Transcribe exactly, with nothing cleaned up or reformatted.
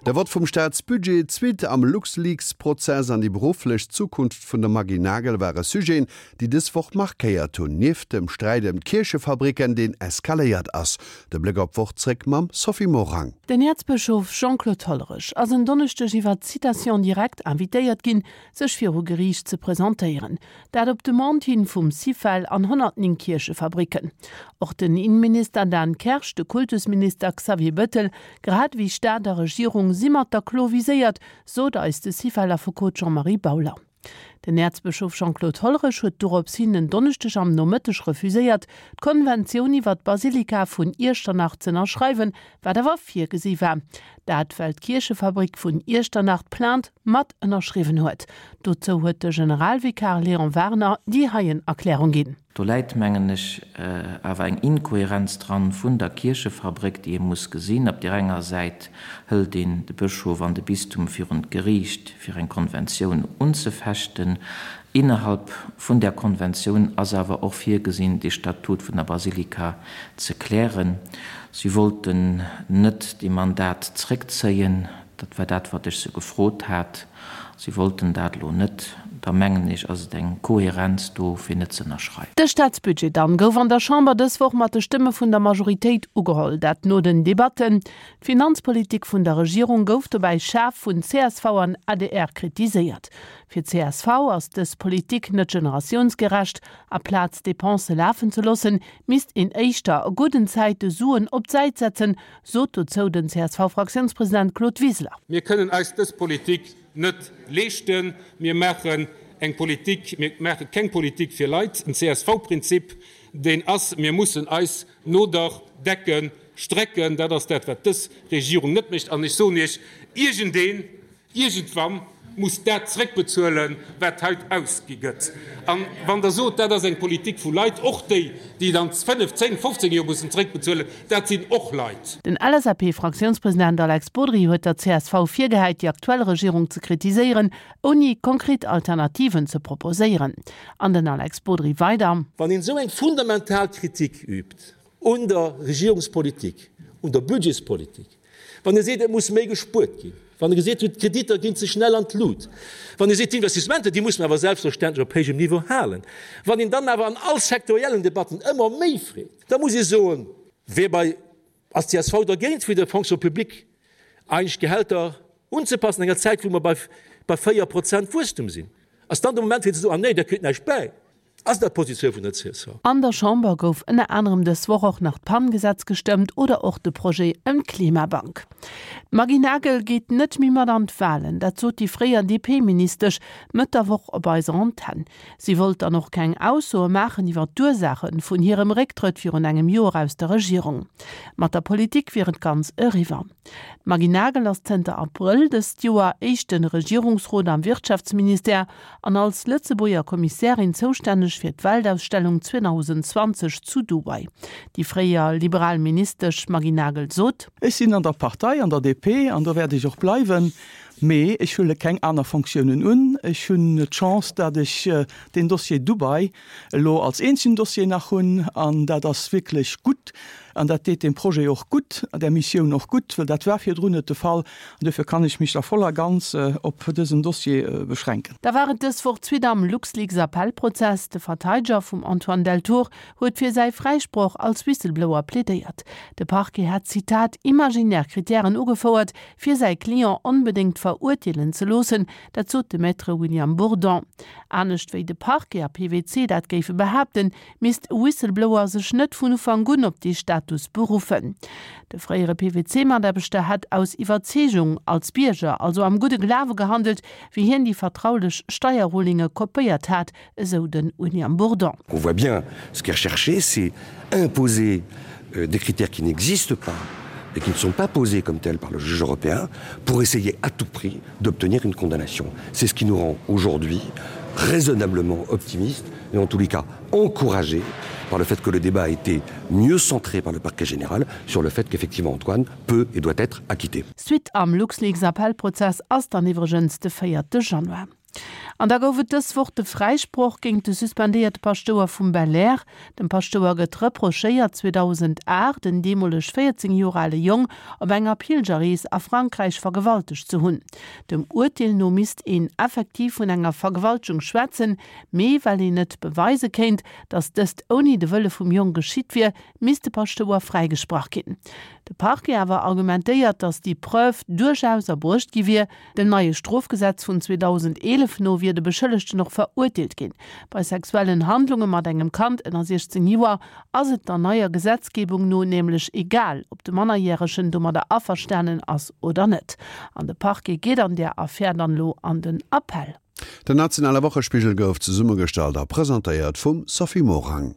De Vott vum Staatsbudget, d'Suite am LuxLeaks-Prozess an déi berufflech Zukunft vun der Maggy Nagel ware Sujeten, déi dës Woch markéiert hunn, nieft dem Sträit ëm d'Kierchefabricken, deen eskaléiert ass. De Bléck op d'Woch zréck mam Sophie Morang. Den Äerzbëschof Jean-Claude Hollerich ass en Donneschdeg iwwer Citation directe invitéiert ginn, sech viru Geriicht ze presentéieren. Dat op Demande hin vum Syfel an honnertnéng Kierchefabricken. Och den Inneminister Dan Kersch, de Kultusminister Xavier Bettel, grad ewéi Staat a Regierung si mat der Klo viséiert, sot eis de Syfel-Affekot Jean-Marie Bauler. Den Äerzbëschof Jean-Claude Hollerich huet dorops hin en Donneschdeg am Nomëtteg refuséiert, d'Konventioun iwwer d'Basilika vun Iechternach z'ënnerschreiwen, wat awer virgesi war. Dat well d'Kierchefabrik vun Iechternach d'Plainte mat ënnerschriwwen huet. Dozou huet de Generalvikar Léon Werner déi heien Erklärung ginn. Do läit, mengen ech, awer eng Inkohärenz dran vun der Kierchefabréck, déi ee muss gesinn. Op där enger Säit hëlt een de Bëschof an de Bistum virun d'Geriicht, fir eng Konventioun unzefechten. Innerhalb vun där Konventioun ass awer och virgesinn, de Statut vun der Basilika ze klären. Si wollten net dee Mandat zréckzéien. Dat war dat, wat ech se gefrot hat. Si wollten dat elo net. Da mengen ech, ass et eng Kohärenz do, fir net ze ënnerschreiwen. De Staatsbudget dann gouf an der Chamber dës Woch mat de Stëmme vun der Majoritéit ugeholl. Dat no den Debatten. D'Finanzpolitik vun der Regierung gouf dobäi schaarf vun csv an adr kritiséiert. Fir csv ass dës Politik net generatiounsgerecht. Aplaz d'Depensë lafen ze loossen, misst een éischter a gudden Zäite Suen op d'Säit setzen, sot dozou den CSV-Fraktiounspresident Claude Wiseler. Mir kënnen eis dës Politik net leeschten. Mir maachen eng Politik, mir maache keng Politik fir Leit. En C S V-Prinzip, deen ass, mir mussen eis no der Decke strecken. Dat ass dat, wat dës Regierung net mécht. An ech soen Iech, iergendeen, iergendwann muss dat zréckbezuelen, wat haut ausgi gëtt. A wann Der sot, dat ass eng Politik vu Leit, och déi, déi et an fënnef, zéng, fofzéng Joer mussen zréckbezuelen, dat sinn och Leit. Den L S A P-Fraktiounspresident Alex Bodry huet der C S V virgehäit, déi aktuell Regierung ze kritiséieren, ouni konkret Alternativen ze proposéieren. An den Alex Bodry weider. Wann een esou eng fundamental Kritik übt un der Regierungspolitik, un der Budgetspolitik, wann e seet, et muss méi gespuert ginn, wann e geseet huet, d'Kreditter ginn ze schnell an d'Lut, wann e seet, d'Investissementer, déi muss mer awer selbstverständlech op héijem Niveau halen, wann een dann awer an all sektoriellen Debatten ëmmer méi freet, da muss ee soen, wéi bei ass d'C S V dergéint, fir der Fonction publique eigentlech d'Gehälter unzepassen an enger Zäit, wou mer bei bei véier Prozent Wuesstum sinn? Ass dann de Moment, fir ze soen, ah nee, der kritt näischt bäi? Ass dat d'Positioun vun der C S V? An der Chamber gouf ënner anerem dës Woch och nach d'PAN-Gesetz gestëmmt oder och de Projet ëm d'Klimabank. D'Maggy Nagel geet net méi mat an d'Walen, dat sot déi fréier D P-Ministesch Mëtt der Woch op eiser Antenn. Si wollt dann och keng Aussoe maachen iwwer d'Ursaache vun hirem Récktrëtt virun engem Joer aus der Regierung. Mat der Politik wier et ganz eriwwer. D'Maggy Nagel ass zënter Abrëll dëst Joer éischte Regierungsrot am Wirtschaftsministère an als Lëtzebuerger Kommissärin zoustänneg fir d'Weltausstellung zweedausendzwanzeg zu Dubai. Déi fréier liberal Ministesch Maggy Nagel sot. Ech sinn an der Partei, an der D P, an do wäert ech och bleiwen, mee ech huele keng aner Fonctiounen un. Ech hunn d'Chance, datt ech deen Dossier Dubai elo als eenzegen Dossier nach hunn, an dat ass wierklech gutt an dat deet dem Projet och gutt, der Missioun och gutt, well dat war virdrun net de Fall. An duerfir kann ech mech da voll a ganz op dësen Dossier beschränken. Da war et dës Woch d'Suite am LuxLeaks-Appellprozess. De Verteideger vum Antoine Deltour huet fir säi Fräisproch als Whistleblower plädéiert. De Parquet hat, Zitat, imaginär Krittären ugefouert, fir säi Client onbedéngt verurteelen ze loossen, dat sot de Maître William Bourdon. Anescht wéi de Parquet a P W C dat géife behaapten, misst e Whistleblower sech net vun Ufank un op dee Status beruffen. De fréiere P W C-Mataarbechter hätt aus Iwwerzeegung als Bierger, also am gudde Glawe gehandelt, wéi hien déi vertraulech Steierrulinge kopéiert hat, esou de William Bourdon. On voit bien ce qui est recherché, c'est imposer des critères qui n'existent pas et qui ne sont pas posés comme tels par le juge européen pour essayer à tout prix d'obtenir une condamnation. C'est ce qui nous rend aujourd'hui raisonnablement optimistes et en tous les cas encouragés par le fait que le débat a été mieux centré par le parquet général sur le fait qu'effectivement Antoine peut et doit être acquitté. Suite am LuxLeaks-Appellprozess ass dann iwwregens de véierte Januar. An da gouf et dës Woch de Fräisproch géint de suspendéierte Paschtouer vum Belair. Dem Paschtouer gëtt reprochéiert, zweedausendacht en deemoleg véierzéng Joer ale Jong op enger Pilgerrees a Frankräich vergewaltegt ze hunn. Dem Urteel no misst een effektiv vun enger Vergewaltegung schwätzen, mee well een net beweise kéint, datt dëst ouni de Wëlle vum Jong geschitt wier, misst de Paschtouer fräigesprach ginn. De Parquet awer argumentéiert, datt déi Preuve duerchaus erbruecht gi wier. Dem neie Strofgesetz vun zweedausendeelef no wier de Beschëllegten och verurteelt ginn. Bei sexuellen Handlunge mat engem Kand ënner siechzéng Joer ass et der neier Gesetzgebung no nämlech egal, ob de Mannerjäregen domadder averstanen ass oder net. An de Parquet geet an där Affär dann elo an den Appell. Den nationale Wochespigel gouf zesummegestallt a presentéiert vum Sophie Morang.